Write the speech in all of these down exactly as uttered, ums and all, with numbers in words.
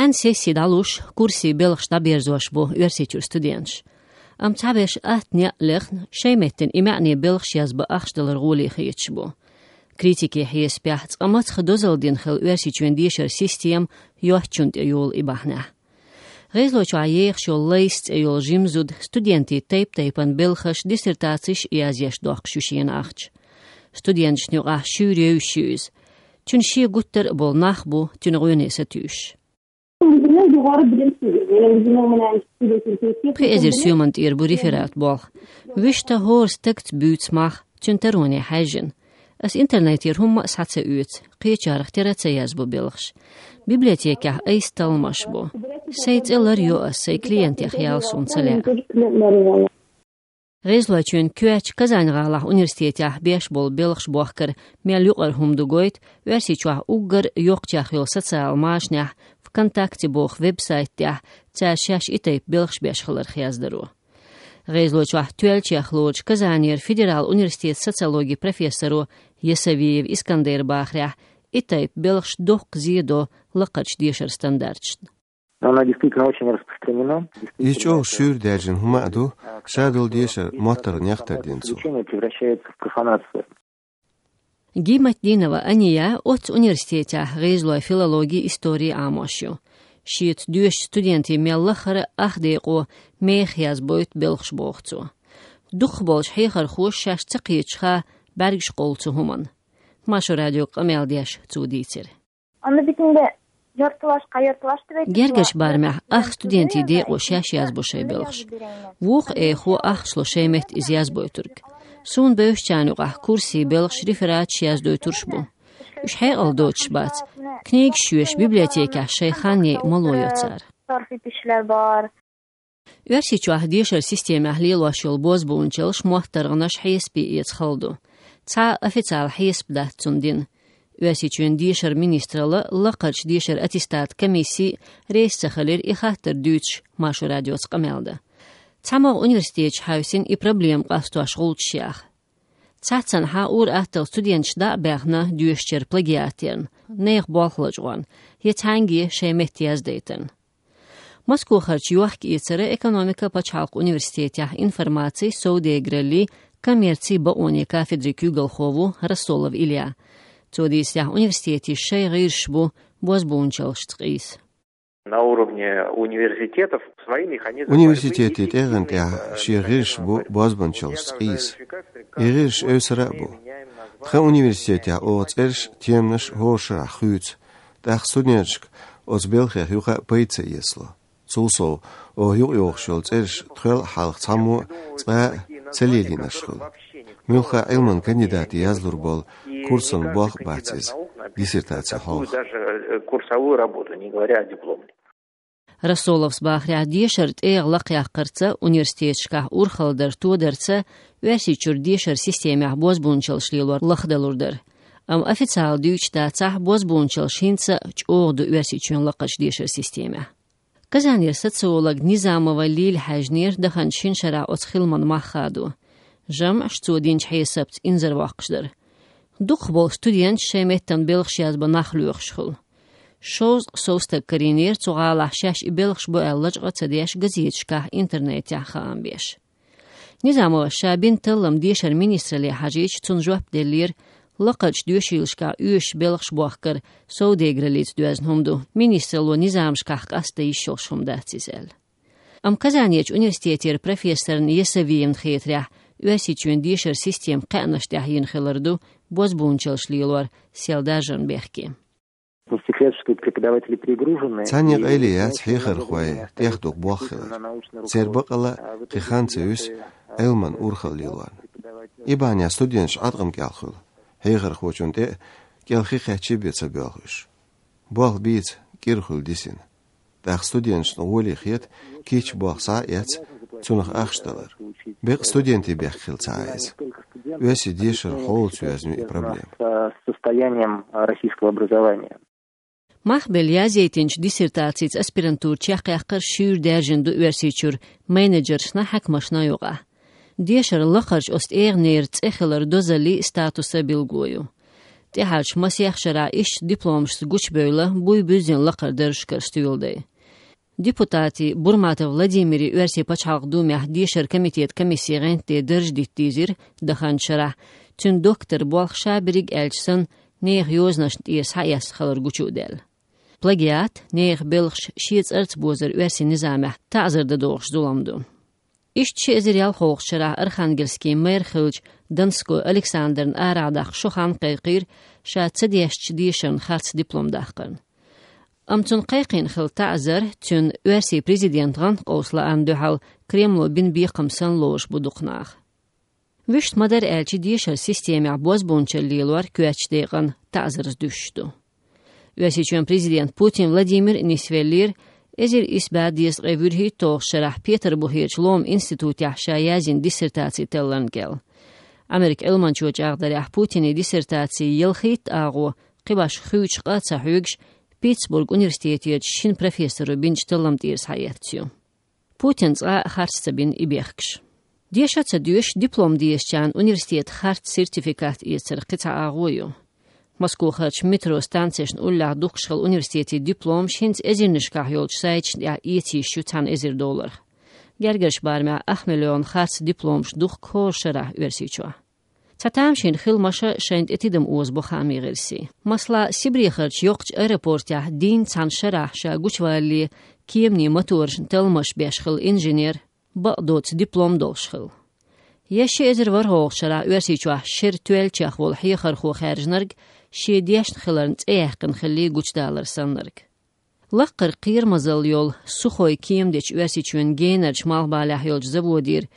Ӏан сесси дӀалуш, курсе белхаш дӀаберзош бу Оьрсийчуьра студенташ. Амма цхьаберш атта некъ лехна, шайн меттана и маьӀне белхаш язбан ахча далар гӀоле хеташ бу. Критикийн хьесапехь, цкъа мацах дозалла дина хилла Оьрсийчоьнан дешаран система йоцчунна тӀе йолу и бахьанехь. ГӀезалойчохь ехаш йолу «Лайс» цӀе йолу жима зуда студентийн тайп-тайпана белхаш, диссертацеш язъеш доккхуш ю шена ахча. Студенташна юкъахь шуьйра евзаш ю иза. Цуьнан шен гуттар а болу нах бу цуьнан гӀоьне сатуьйсуш. Пхи эзар соьман тӀера бу реферат болх. Вуьшта хӀора стагца буьйцу мах, цуьнан тароне хьаьжжина. Ас интернетера хӀумма а схьа ца оьцу, кхечарах тера ца язбо белхаш. Библиотекехь айса талламаш бу. Сайн цӀе лар йо ас, сайн клиентех ял суна ца лаьа. ГӀезалойчоьнан коьртачу Казань-гӀалахь университетехь беш болу белхаш бохкар мел юкъара хӀума ду гойту Оьрсийчохь уггар йоккхачех йолу социалан машанехь «ВКонтакте» боху веб-сайт тӀехь цара шаьш и тайпа белхаш беш хиларх яздаро. ГӀезалойчохь тоьллачех лоручу Казанера федералан университетан социологин профессоро Ясавиев Искандера бахарехь, и тайпа белхаш доккха зе до лакхарчу дешаран стандарташна. Но оно действительно очень распространено. Иза чӀогӀа шуьйра даьржина хӀума а ду, ша долу дешар моттаргӀанех тардина цо. Исключение превращается в профанацию. Гиматдинова Ания оццу университетехь гӀезалойн филологи, истори Ӏамош ю. Шеца доьшучу студентийн мел лахара ах декъо мехах язбойту белхаш, боху цо. Дукхахболчу хьехархоша шаьш ца кхеташ хан бӀаьргаш къовлу цу хӀуманна. Маршо радиога къамел деш цо дийцира. Онда битинде ёртулаш, къа ёртулаш тиве. Гергарчу барамехь ах студентийн декъо шаьш язбо шайн белхаш. Вукху эхо ахча ло шайн метта иза язбойтург. Суна бевзачарна юкъахь курсе белхаш, рефераташ яздойтурш бу. Уьш хьекъал доцуш бац. Книгаш йоьшуш библиотекехь шайн хан яйа мало йо цара. Торфи пишлер бар. Оьрсийчохь дешаран системехь лелош йолу бозбуунчаллаш, моттаргӀанаш хьесапе эца хала ду. Цхьа а официалан хьесап дац цунна дина. Оьрсийчоьнан дешаран министралла, лакхарчу дешаран аттестатан комисси а реза ца хилира и хаттар дуьйцуш Маршо радиоца къамел дан. ЦхьамогӀа университеташ хьаьвсина и проблема къастош гӀулчаш яха. Цхьаццанхьа ур-атталла студенташ дӀа а баьхна доьшучара плагиат ярна, нехан болх лачкъорна, я цхьаьнгге шайн метта яздайтарна. Москохарчу йохка-эцаран, экономикан пачхьалкхан университетехь информацин, совдегараллин, коммерцин бакъонийн кафедрин куьйгалхо ву Рассолов Илья. Цо дийцарехь, университетийн шайн гӀирсаш бу бозбуунчаллашца къийса. На уровне университетов свои механизмы борьбы есть. Университетийн тӀегӀан тӀехь шен гӀирсаш бу бозбуунчаллашца къийса. И гӀирсаш эвсара а бу. Тхан университетехь оха цӀераш, теманаш хӀора шарахь хуьйцу. ТӀаккха студенташка оцу белхех юха а пайда ца эцало. Цул сов, оха юкъайохуш йолу цӀераш тхол а, хьалха цхьаммо а цкъа а ца лелийнарш хуьлу. Муьлхха а Ӏилманан кандидатийн язлур болу курсан болх а бац иза, диссертаци хьалха. Даже, э, курсовую работу, не говоря о дипломе. Рассоловс бахарехь, дешаран тӀегӀа лакхъяккхарца университеташкахь урхалла дар тодарца Оьрсийчуьра дешаран системехь бозбуунчаллаш лелор лахдалур дара. Амма официалан дуьйцуш дацахь, бозбуунчаллаш хӀинца а чӀогӀа ду Оьрсийчоьнан лакхарчу дешаран системехь. Казанера социолог Низамова Лиля хьаьжнера даханчу шина шарахь оцу хиламан мах хадо. ЖамӀаш, цо динчу хьесапца, инзарвоккхуш дара. Дукхахболу студенташ шайн меттана белхаш язбан нах лоьхуш хуьлу. Шовзткъа сов стаг карийнера цу гӀалахь шаьш и белхаш бу аьлла лачкъа а ца деш, газеташкахь, интернетехь хаам беш. Низамовас ша бина таллам дешаран министралле хьажийча, цунна жоп деллера: лакхарчу доьшийлашкахь оьшуш белхаш бохкар совдегараллица доьзна хӀума ду, министралло низамашкахь къастаде йиш йолуш хӀума дац иза, аьлла. Амма Казанерчу университетера профессорна Ясавиевна хетарехь, Оьрсийчоьнан дешаран системан кхаьънаш тӀехь йина хилар ду бозбуунчаллаш лелор сел даржарна бехке. Университетские преподаватели перегружены. Цхьанне къайле яц хьехархой тӀехдуху болх хилар. Церан бакъалла кхин хан ца юьсу Ӏилманан урхалла лелорна. И бахьанехь студенташ Ӏаткъам кӀел хуьлу. Хьехархочунна тӀе а кӀел хи кхаьччи бен ца боьлху уьш. Болх бийца кӀира хуьлу дисина. ТӀаккха студенташна гӀоле хета кийча болх схьа а эцна, цунах ахча далар. Бекъа студентийн бехк хилла ца Ӏа иза. Оьрсийн дешаран хьолаца йоьзна ю и проблема. С состоянием российского образования. Мах белла язъяйтинчу диссертацица аспирантура чекхъяккхар шуьйра даьржина ду Оьрсийчуьра менеджершна, хьаькамашна юкъахь. Дешаран лакхарчу оцу тӀегӀанера цӀе хилар дозаллин статусан билгало ю. ТӀехьарчу масех шарахь иштта дипломашца гучубевлла буй буьззина лакхара даржашкара стоьладай. Депутати Бурматов Владимири Оьрсийн пачхьалкхан Думехь дешаран комитетан комиссин гӀантде дарж дита дийзира даханчу шарахь, цуьнан доктор болх ша берриг аьлча санна, нехан йозанашна тӀера схьаэцна хилар гучу а даьлла. Плагиат, нехан белхаш шен цӀарца бозар оьрсийн низамехь таӀзар дан догӀуш зулам ду. Иштта ши эзар ялхолгӀачу шарахь Архангельскийн мэр хиллачу Донской Александрна арахь даккха шо хан кхайкхийра ша ца дешначу дешарна харц диплом даккхарна. Амма цунна кхайкхийна хилла таӀзар цуьнан оьрсийн президентан гӀанткъовса лаанна дуьхьал Кремло бина бекхам санна лоруш бу дукха нах. Вуьшта ма-дарра аьлча, дешаран системехь бозбуунчалла лелор коьртачу декъана таӀзарца дуьсуш ду. Оьрсийчоьнан президент Путин Владимир а нисвеллера эзар исс бӀе дезткъе вуьрхӀитталгӀачу шарахь Петарбухерчу ломан институтехь ша яздина диссертаци талларна кӀел. Америкин Ӏилманчо чӀагӀдарехь, Путинан диссертаци ялхитта агӀо, кхин башха хуьйцуш къа а ца хьоьгуш, Питтсбурган университетерчу шина профессоро бинчу таллам тӀера схьаэцна ю. Путина цкъа а харц ца бина и бехкаш. Деша а ца доьшуш, диплом дезачарна университетан харц сертификат эцар кхин цхьа агӀо ю. Москвахарчу метро станцешна уллехь духкуш хилла университетийн дипломаш хӀинца эзарнашкахь йолчу сайташна тӀехь эца йиш ю цхьана эзар долларах. Гергарчу барамехь ах миллион харц дипломаш духку хӀора шарахь Оьрсийчохь. Цхьа тамашийна хилла маша шайна тӀе тидам озабо хаамийн гӀирсийн. Масала, Сибрехарчу йоккхачу аэропортехь дийнна цхьана шарахь ша гучувалале кеманийн моторашна талламаш беш хилла инженер бакъдоцу диплом долуш хилла. Я ши эзар ворхӀалгӀачу шарахь Оьрсийчохь шеран тоьллачех волу хьехархо хаьржинарг шен дешна хиларна цӀе яьккхина хиллий гучудалар саннарг. Лаккхара кхерамазалла йолу Сухой кема дечу Оьрсийчоьнан генарчу малхбалехь йолчу заводера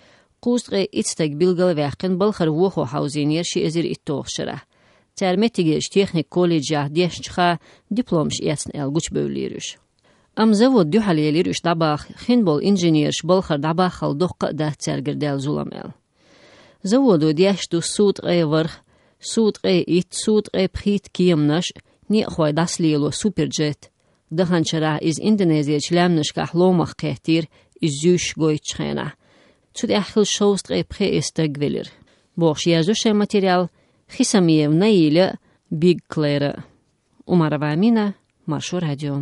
кхузткъе итт стаг билгал а ваьккхина балхара вохо хьовзийнера ши эзар итталгӀачу шарахь. Цара меттигерчу техникан колледжехь дешначуха дипломаш эцна аьлла гучубевллера уьш. Амма завод дуьхьал елира уьш дӀабаха, хин болу инженераш балхара дӀабаххал доккха а дац цаьргара даьлла зулам аьлла. Заводо деш ду суткъе ворхӀ, суткъе итт, суткъе пхийтта кеманаш, некъахой дӀасалело суперджет. Даханчу шарахь иза Индонезерчу лаьмнашкахь ломах кхеттийра, иза зуьйш гойтучу хенахь. Цу тӀехь хилла шовзткъе пхи эзар стаг велира, бохуш, яздо шайн материал Хисамиев Наиля а, Биг Клэра а. Умарова Амина, Маршо радио.